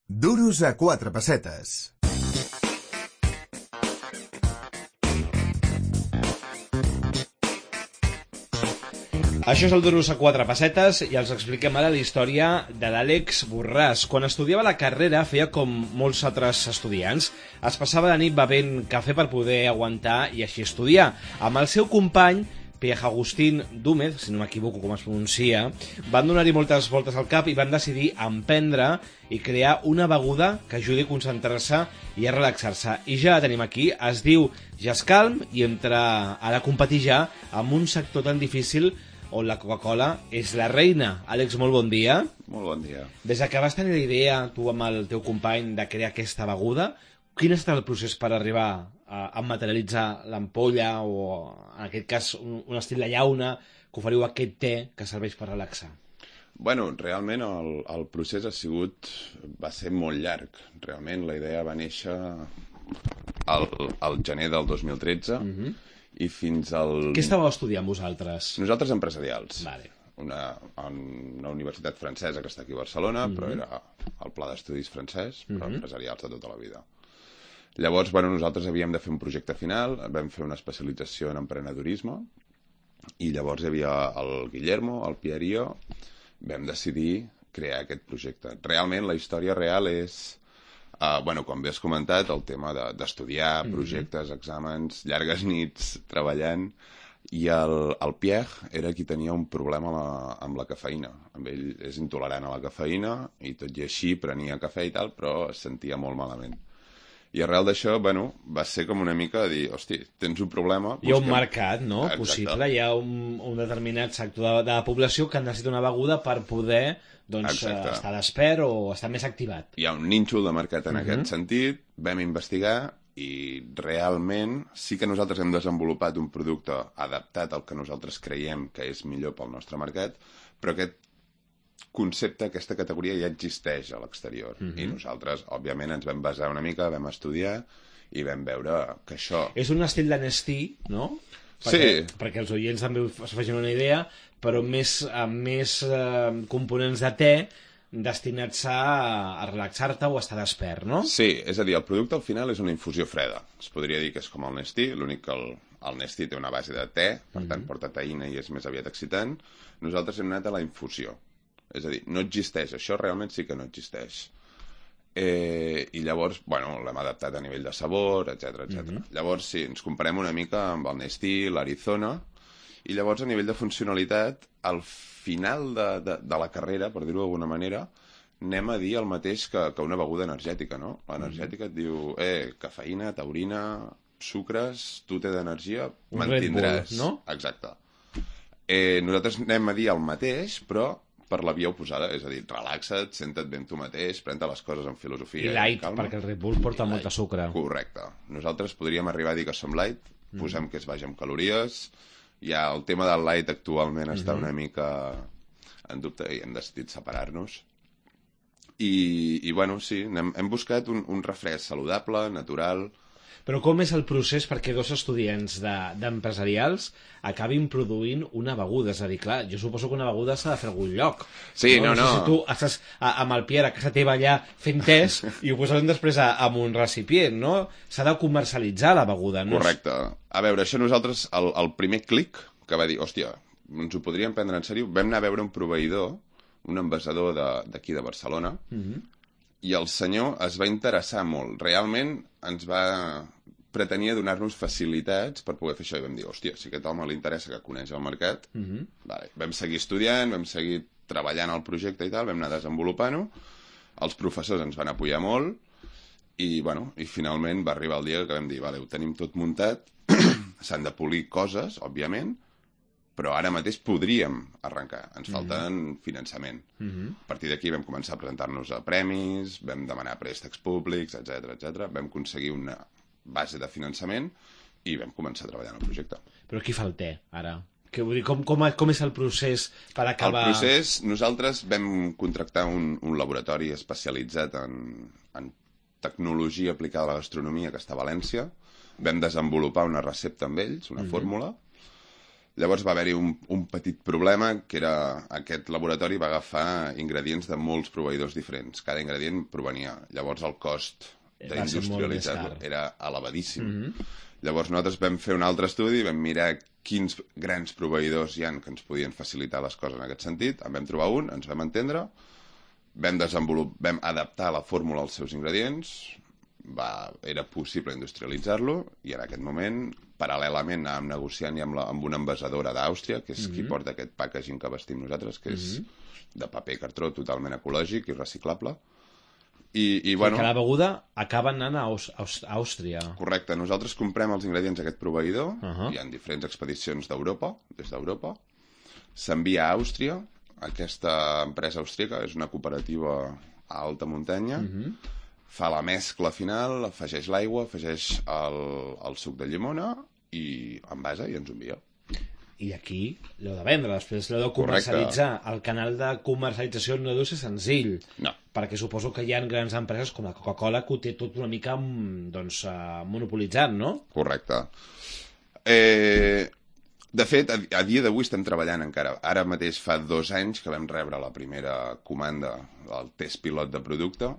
Duros a 4 pessetes. Això és el Duros a 4 pessetes i els expliquem ara la història de l'Àlex Borràs. Quan estudiava la carrera feia com molts altres estudiants. Es passava la nit bevent cafè per poder aguantar i així estudiar. Amb el seu company, Pierre Agustín Dúmez, si no m'equivoco com es pronuncia, van donar-hi moltes voltes al cap i van decidir emprendre i crear una beguda que ajudi a concentrar-se i a relaxar-se. I ja la tenim aquí, es diu Jascalm i entra a la competir ja amb un sector tan difícil on la Coca-Cola és la reina. Àlex, molt bon dia. Molt bon dia. Des que vas tenir la idea, tu amb el teu company, de crear aquesta beguda, quin ha estat el procés per arribar a materialitzar l'ampolla o, en aquest cas, un estil de llauna, que oferiu aquest te que serveix per relaxar? Bueno, realment el procés va ser molt llarg. Realment la idea va néixer al gener del 2013 i fins al... Què estàveu estudiant vosaltres? Nosaltres empresarials. Vale. Una universitat francesa que està aquí a Barcelona, però era el pla d'estudis francès, però empresarials de tota la vida. Llavors, nosaltres havíem de fer un projecte final, vam fer una especialització en emprenedorisme, i llavors hi havia el Guillermo, el Pierre i jo, vam decidir crear aquest projecte. Realment, la història real és... com bé has comentat, el tema d'estudiar, projectes, exàmens, llargues nits treballant, i el Pierre era qui tenia un problema amb la cafeïna. Amb ell és intolerant a la cafeïna i tot i així prenia cafè i tal, però es sentia molt malament. I arrel d'això, va ser com una mica de dir, hosti, tens un problema... Hi ha un mercat, no?, possible. Hi ha un determinat sector de la població que necessita una beguda per poder estar despert o estar més activat. Hi ha un nínxol de mercat en aquest sentit, vam investigar i realment sí que nosaltres hem desenvolupat un producte adaptat al que nosaltres creiem que és millor pel nostre mercat, però aquest concepte, aquesta categoria ja existeix a l'exterior. I nosaltres, òbviament, ens vam basar una mica, vam estudiar i vam veure que això... És un estil de Nestí, no? Perquè els oients també es facin una idea, però amb més components de te destinats a relaxar-te o a estar despert, no? Sí, és a dir, el producte al final és una infusió freda. Es podria dir que és com el Nestí, l'únic que el Nestí té una base de te, per tant porta teïna i és més aviat excitant. Nosaltres hem anat a la infusió. És a dir, no existeix, això realment sí que no existeix. I llavors, l'hem adaptat a nivell de sabor, etc. Llavors, sí, ens comparem una mica amb el Nestí, l'Arizona, i llavors a nivell de funcionalitat, al final de la carrera, per dir-ho d'alguna manera, anem a dir el mateix que una beguda energètica, no? L'energètica et diu, cafeïna, taurina, sucres, tu té d'energia, mantindràs. Red Bull, no? Exacte. Nosaltres anem a dir el mateix, però per la via oposada, és a dir, relaxa't, senta't ben tu mateix, pren-te les coses amb filosofia i light, perquè el Red Bull porta molta sucre. Correcte. Nosaltres podríem arribar a dir que som light, posem que és baix en calories, ja el tema del light actualment està una mica en dubte i hem decidit separar-nos. I sí, hem buscat un refresc saludable, natural. Però com és el procés perquè dos estudiants d'empresarials acabin produint una beguda? És a dir, clar, jo suposo que una beguda s'ha de fer a algun lloc. Sí, no. No sé si tu estàs amb el Pierre a casa teva allà fent tes i ho posem després amb un recipient, no? S'ha de comercialitzar la beguda, no? Correcte. A veure, això nosaltres, el primer clic que va dir, hòstia, ens ho podríem prendre en sèrio, vam anar a veure un proveïdor, un envasador d'aquí de Barcelona, i el senyor es va interessar molt. Realment pretenia donar-nos facilitats per poder fer això. I vam dir, hòstia, si aquest home li interessa, que coneix el mercat, vam seguir estudiant, vam seguir treballant al projecte i tal, vam anar desenvolupant-ho, els professors ens van apoyar molt, i finalment va arribar el dia que vam dir, vale, ho tenim tot muntat, s'han de polir coses, òbviament, però ara mateix podríem arrencar. Ens falten finançament. A partir d'aquí vam començar a presentar-nos a premis, vam demanar préstecs públics, etc. Vam aconseguir una base de finançament i vam començar a treballar en el projecte. Però qui fa el te, ara? Com és el procés per acabar... El procés, nosaltres vam contractar un laboratori especialitzat en tecnologia aplicada a la gastronomia que està a València. Vam desenvolupar una recepta amb ells, una fórmula. Llavors va haver-hi un petit problema, que era aquest laboratori va agafar ingredients de molts proveïdors diferents. Cada ingredient provenia. Llavors el cost d'industrialitzar-lo era elevadíssim. Llavors nosaltres vam fer un altre estudi, vam mirar quins grans proveïdors hi ha que ens podien facilitar les coses en aquest sentit. En vam trobar un, ens vam entendre, vam adaptar la fórmula als seus ingredients, era possible industrialitzar-lo, i en aquest moment, paral·lelament, anàvem negociant amb una envasadora d'Àustria, que és qui porta aquest packaging que vestim nosaltres, que és de paper cartró totalment ecològic i reciclable. I bueno, que la beguda acaba anant a Àustria. Correcte, nosaltres comprem els ingredients d'aquest proveïdor, hi ha diferents expedicions d'Europa, des d'Europa, s'envia a Àustria, aquesta empresa austríaca és una cooperativa a alta muntanya, fa la mescla final, afegeix l'aigua, afegeix el suc de llimona i envasa i ens ho envia. I aquí l'heu de vendre, després l'heu de comercialitzar. El canal de comercialització no deu ser senzill, perquè suposo que hi ha grans empreses com la Coca-Cola que ho té tot una mica monopolitzat, no? Correcte. De fet, a dia d'avui estem treballant encara. Ara mateix fa 2 anys que vam rebre la primera comanda del test pilot de producte,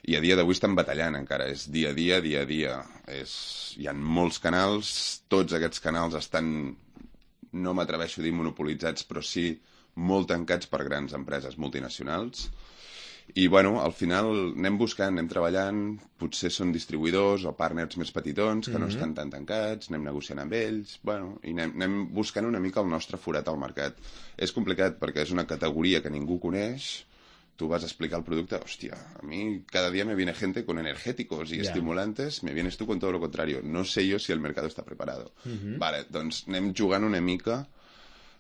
i a dia d'avui estem batallant encara. És dia a dia, dia a dia. Hi ha molts canals, tots aquests canals estan, no m'atreveixo a dir monopolitzats, però sí molt tancats per grans empreses multinacionals. I, bueno, al final anem buscant, anem treballant, potser són distribuïdors o partners més petitons que no estan tan tancats, anem negociant amb ells, bueno, i anem buscant una mica el nostre forat al mercat. És complicat perquè és una categoria que ningú coneix, tú vas a explicar el producte, hòstia, a mi cada dia me viene gente con energéticos y estimulantes, me vienes tú con todo lo contrario. No sé yo si el mercado está preparado. Vale, doncs anem jugant una mica,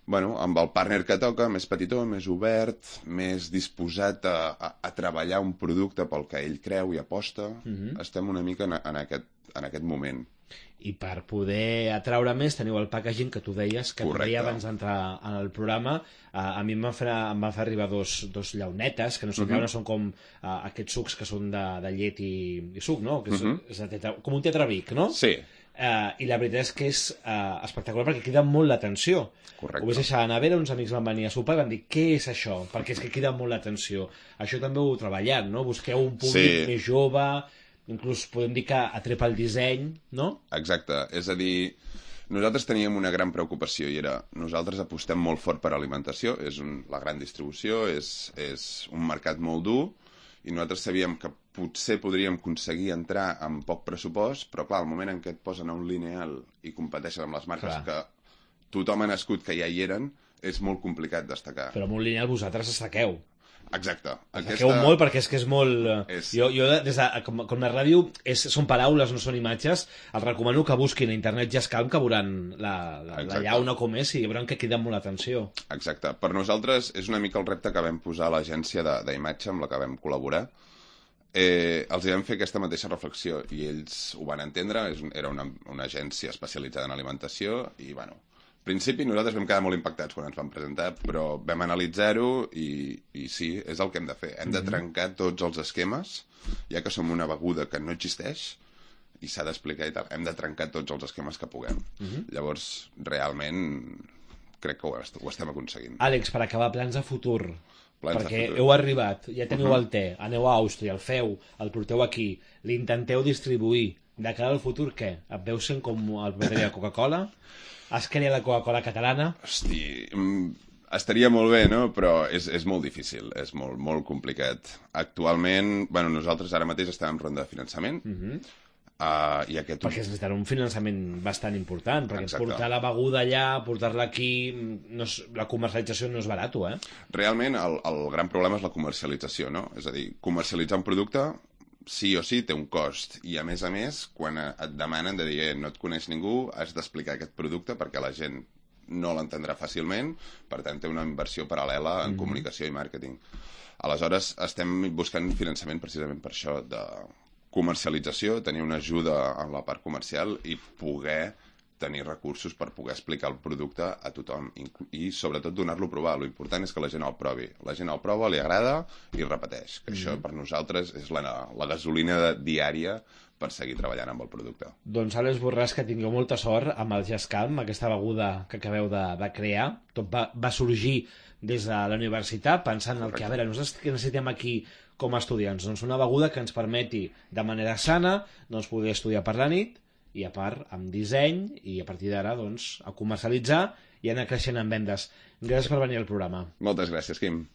bueno, amb el partner que toca, més petitó, més obert, més disposat a treballar un producte pel que ell creu i aposta. Estem una mica en aquest moment. I per poder atraure més teniu el packaging que tu deies, que tu deia abans d'entrar en el programa. A mi em van fer arribar dos llaunetes, que no són llaunes, són com aquests sucs que són de llet i suc, no? Que és com un tetrabric, no? Sí. I la veritat és que és espectacular perquè crida molt l'atenció. Correcte. Ho vaig deixar a la nevera, uns amics van venir a sopar i van dir, què és això? Perquè és que crida molt l'atenció. Això també ho heu treballat, no? Busqueu un públic més jove, inclús podem dir que atrepa el disseny, no? Exacte, és a dir, nosaltres teníem una gran preocupació i era, nosaltres apostem molt fort per alimentació, la gran distribució, és un mercat molt dur, i nosaltres sabíem que potser podríem aconseguir entrar amb poc pressupost, però clar, al moment en què et posen a un lineal i competeixen amb les marques que tothom ha nascut que ja hi eren, és molt complicat destacar. Però amb un lineal vosaltres destaqueu. Exacte. Destaqueu molt perquè és que és molt... Jo des de, com la ràdio són paraules, no són imatges, els recomano que busquin a internet Jazzcalm, que veuran la llauna com és i veuran que crida molt l'atenció. Exacte. Per nosaltres és una mica el repte que vam posar a l'agència d'imatge amb la que vam col·laborar. Els vam fer aquesta mateixa reflexió i ells ho van entendre. Era una agència especialitzada en alimentació i, bueno, al principi nosaltres vam quedar molt impactats quan ens vam presentar, però vam analitzar-ho i sí, és el que hem de fer. Hem de trencar tots els esquemes, ja que som una beguda que no existeix i s'ha d'explicar i tal. Hem de trencar tots els esquemes que puguem. Llavors, realment, crec que ho estem aconseguint. Àlex, per acabar, plans de futur. Perquè heu arribat, ja teniu el te, aneu a Àustria, el feu, el porteu aquí, l'intenteu distribuir. De cara al futur, què? Et veus sent com el vendria Coca-Cola? Has creat la Coca-Cola catalana? Hosti, estaria molt bé, no? Però és molt difícil, és molt, molt complicat. Actualment, bueno, nosaltres ara mateix estem en ronda de finançament. Perquè es necessitarà un finançament bastant important, perquè portar la beguda allà, portar-la aquí, la comercialització no és barat, eh? Realment, el gran problema és la comercialització, no? És a dir, comercialitzar un producte sí o sí té un cost, i a més, quan et demanen de dir no et coneix ningú, has d'explicar aquest producte perquè la gent no l'entendrà fàcilment, per tant té una inversió paral·lela en comunicació i màrqueting. Aleshores estem buscant finançament precisament per això, de comercialització, tenir una ajuda en la part comercial i poder tenir recursos per poder explicar el producte a tothom i sobretot donar-lo a provar. Lo important és que la gent el provi. La gent el prova, li agrada i repeteix. Que això per nosaltres és la gasolina diària per seguir treballant amb el producte. Doncs Àlex Borràs, que tingueu molta sort amb el Jascalm, aquesta beguda que acabeu de crear. Tot va sorgir des de la universitat pensant en el que, a veure, nosaltres que necessitem aquí com a estudiants, doncs una beguda que ens permeti de manera sana doncs poder estudiar per la nit i a part amb disseny i a partir d'ara doncs a comercialitzar i anar creixent en vendes. Gràcies per venir al programa. Moltes gràcies, Quim.